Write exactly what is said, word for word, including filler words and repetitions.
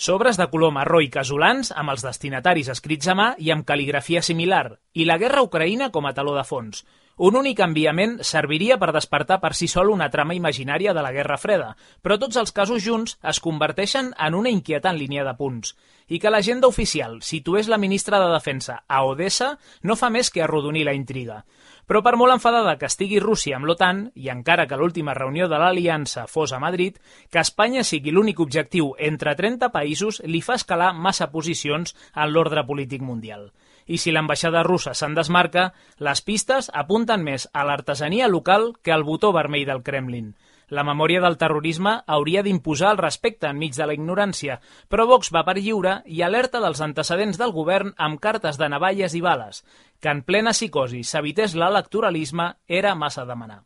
Sobres de color marró i casolans amb els destinataris escrits a mà i amb cal·ligrafia similar, i la guerra a Ucraïna com a teló de fons. Un únic enviament serviria per despertar per si sol una trama imaginària de la Guerra Freda, però tots els casos junts es converteixen en una inquietant línia de punts. I que l'agenda oficial situés la ministra de Defensa a Odessa no fa més que arrodonir la intriga. Però per molt enfadada que estigui Rússia amb l'OTAN, i encara que l'última reunió de l'aliança fos a Madrid, que Espanya sigui l'únic objectiu entre trenta països li fa escalar massa posicions en l'ordre polític mundial. I si l'ambaixada russa se'n desmarca, les pistes apunten més a l'artesania local que al botó vermell del Kremlin. La memòria del terrorisme hauria d'imposar el respecte enmig de la ignorància, però Vox va per lliure i alerta dels antecedents del govern amb cartes de navalles i bales. Que en plena psicosi s'evités l'electoralisme era massa demanar.